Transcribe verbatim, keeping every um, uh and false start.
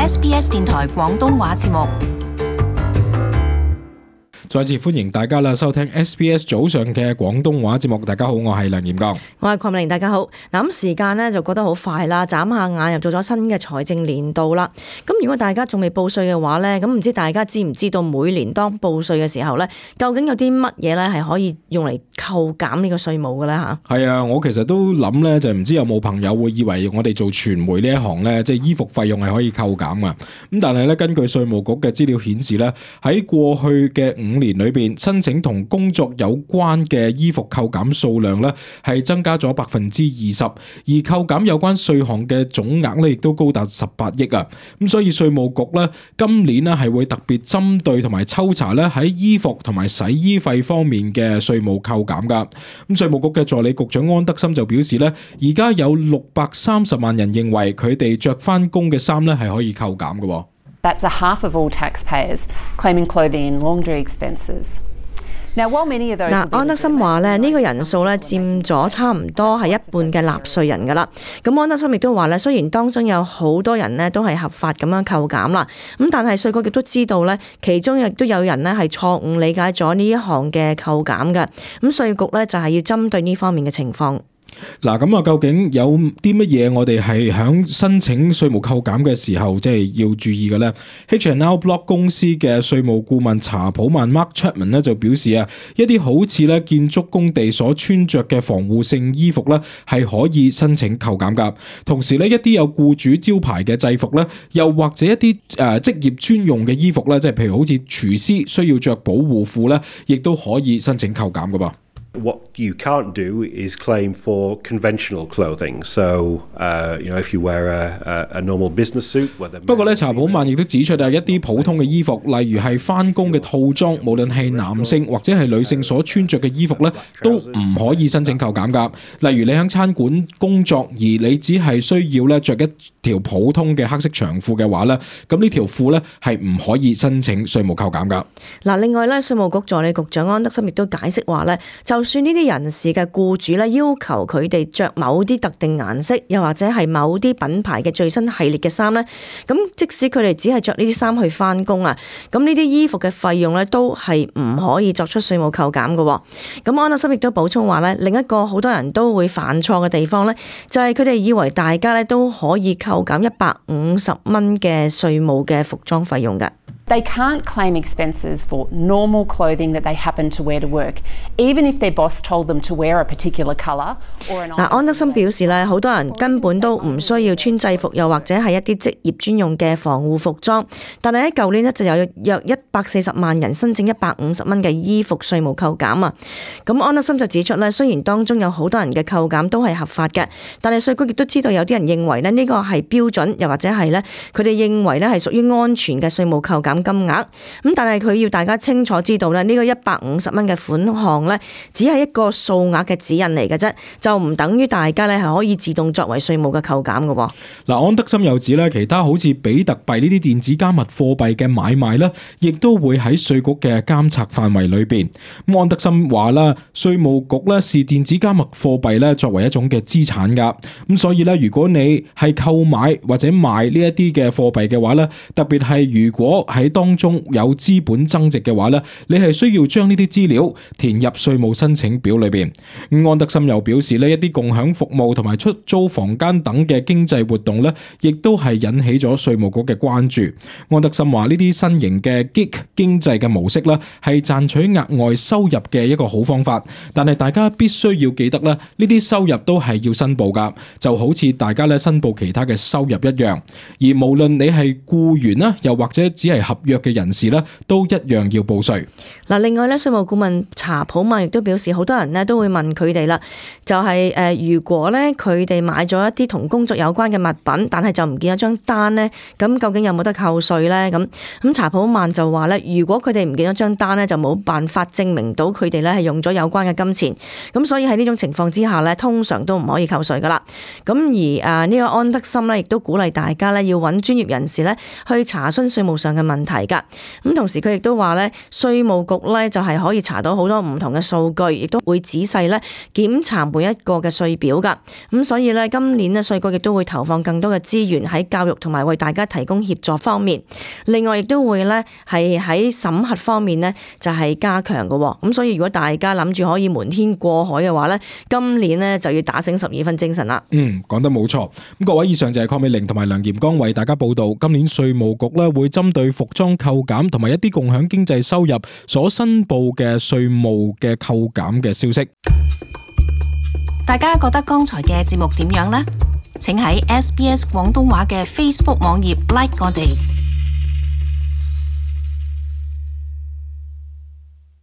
S B S 電台廣東話節目。再次歡迎大家啦，收聽 S B S 早上嘅廣東話節目。大家好，我係梁炎剛，我係鄺美玲。大家好。嗱，咁時間呢就覺得好快啦，眨下眼又做咗新嘅財政年度啦。咁如果大家仲未報稅嘅話呢，咁唔知大家知唔知道每年當報稅嘅時候呢，究竟有啲乜嘢呢係可以用嚟扣減呢個稅務嘅呢？吓，係啊，我其實都諗呢，就唔知有冇朋友會以為我哋做傳媒呢一行呢，即係衣服費用係可以扣減啊。咁但係呢，根據稅務局嘅資料顯示呢，喺過去嘅五年裏邊，申請同工作有關嘅衣服扣減數量咧係增加咗百分之二十，而扣減有關稅項嘅總額咧亦都高達十八億啊！咁所以稅務局咧今年咧係會特別針對同埋抽查咧喺衣服同埋洗衣費方面嘅稅務扣減噶。咁稅務局嘅助理局長安德森就表示咧，而家有六百三十萬人認為佢哋着翻工嘅衫咧係可以扣減嘅。That's a half of all taxpayers claiming clothing and laundry expenses. Now, while many of those 嗱，安德森話咧，呢個人數咧佔咗差唔多係一半嘅納稅人噶啦。咁安德森亦都話咧，雖然當中有好多人呢都係合法咁樣扣減啦，咁但係稅局亦都知道咧，其中亦都有人呢係錯誤理解咗呢一項嘅扣減嘅。咁稅局咧就係要針對呢方面嘅情況。嗱，咁啊，究竟有啲乜嘢我哋係響申請稅務扣減嘅時候，即係要注意嘅咧 ？H and R Block 公司嘅稅務顧問查普曼 Mark Chapman 咧就表示啊，一啲好似咧建築工地所穿着嘅防護性衣服咧係可以申請扣減噶。同時咧，一啲有僱主招牌嘅制服咧，又或者一啲誒職業專用嘅衣服咧，即係譬如好似廚師需要着保護褲咧，亦都可以申請扣減噶噃。What you can't do is claim for conventional clothing. So, uh, you know, if you wear a, a, a normal business suit, whether 不過咧，查普曼亦都指出啊，一啲普通嘅衣服，例如係返工嘅套裝，無論係男性或者係女性所穿着嘅衣服咧，都唔可以申請扣減㗎。例如你喺餐館工作，而你只係需要咧着一條普通嘅黑色長褲嘅話咧，咁呢條褲咧係唔可以申請稅務扣減㗎。嗱，另外咧，稅務局助理局長安德森亦都解釋話咧，就算呢啲人士嘅僱主咧要求佢哋着某啲特定顏色，又或者係某啲品牌嘅最新系列嘅衫咧，咁即使佢哋只係着呢啲衫去返工啊，咁呢啲衣服嘅費用咧都係唔可以作出稅務扣減嘅。咁安德森亦都補充話咧，另一個好多人都會犯錯嘅地方咧，就係佢哋以為大家咧都可以扣減一百五十蚊嘅稅務嘅服裝費用㗎。They can't claim expenses for normal clothing that they happen to wear to work, even if their boss told them to wear a particular colour or an. 嗱，安德森表示咧，好多人根本都唔需要穿制服，又或者係一啲職業專用嘅防護服裝。但係喺舊年呢，就有約一百四十萬人申請一百五十蚊嘅衣服稅務扣減啊。咁安德森就指出咧，雖然當中有好多人嘅扣減都係合法嘅，但係稅局亦都知道有啲人認為咧呢個係標準，又或者係咧佢哋認為咧係屬於安全嘅稅務扣減金額。咁但係佢要大家清楚知道咧，呢個一百五十蚊嘅款項咧，只係一個數額嘅指引嚟嘅啫，就唔等於大家咧係可以自動作為稅務嘅扣減嘅。嗱，安德森又指咧，其他好似比特幣呢啲電子加密貨幣嘅買賣咧，亦都會喺稅局嘅監察範圍裏邊。咁安德森話啦，稅務局咧視電子加密貨幣咧作為一種嘅資產噶，咁所以咧，如果你係購買或者賣呢一啲嘅貨幣嘅話咧，特別係如果喺當中有資本增值嘅話咧，你係需要將呢啲資料填入稅務申請表裏邊。咁安德森又表示咧，一啲共享服務同埋出租房間等嘅經濟活動咧，亦都係引起咗稅務局嘅關注。安德森話呢啲新型嘅 gig 經濟嘅模式咧，係賺取額外收入嘅一個好方法，但係大家必須要記得咧，呢啲收入都係要申報噶，就好似大家咧申報其他嘅收入一樣。而無論你係僱員啦，又或者只係合約嘅人士咧，都一樣要報稅。嗱，另外咧，稅務顧問查普曼亦都表示，好多人咧都會問佢哋啦，就係、是、誒，如果咧佢哋買咗一啲同工作有關嘅物品，但係就唔見咗張單咧，咁究竟有冇得扣稅咧？咁咁查普曼就話咧，如果佢哋唔見咗張單咧，就冇辦法證明到佢哋咧係用咗有關嘅金錢，咁所以喺呢種情況之下咧，通常都唔可以扣稅噶啦。咁而誒呢個安德森咧，亦都鼓勵大家咧要揾專業人士咧去查詢稅務上嘅問題㗎。咁同時佢亦都話咧，稅務局咧就係可以查到好多唔同嘅數據，亦都會仔細咧檢查每一個嘅稅表㗎。咁所以咧今年咧稅局亦都會投放更多嘅資源喺教育同埋為大家提供協助方面。另外亦都會咧係喺審核方面咧就係加強嘅。咁所以如果大家諗住可以瞞天過海嘅話咧，今年咧就要打醒十二分精神啦。嗯，講得冇錯。咁各位，以上就係鄺美玲同埋梁炎剛為大家報道今年稅務局咧會針對服裝扣減同埋一啲共享經濟收入所申報嘅稅務嘅扣減嘅消息。大家覺得剛才嘅節目點樣呢？請喺 S B S 廣東話嘅 Facebook 網頁 like 我哋。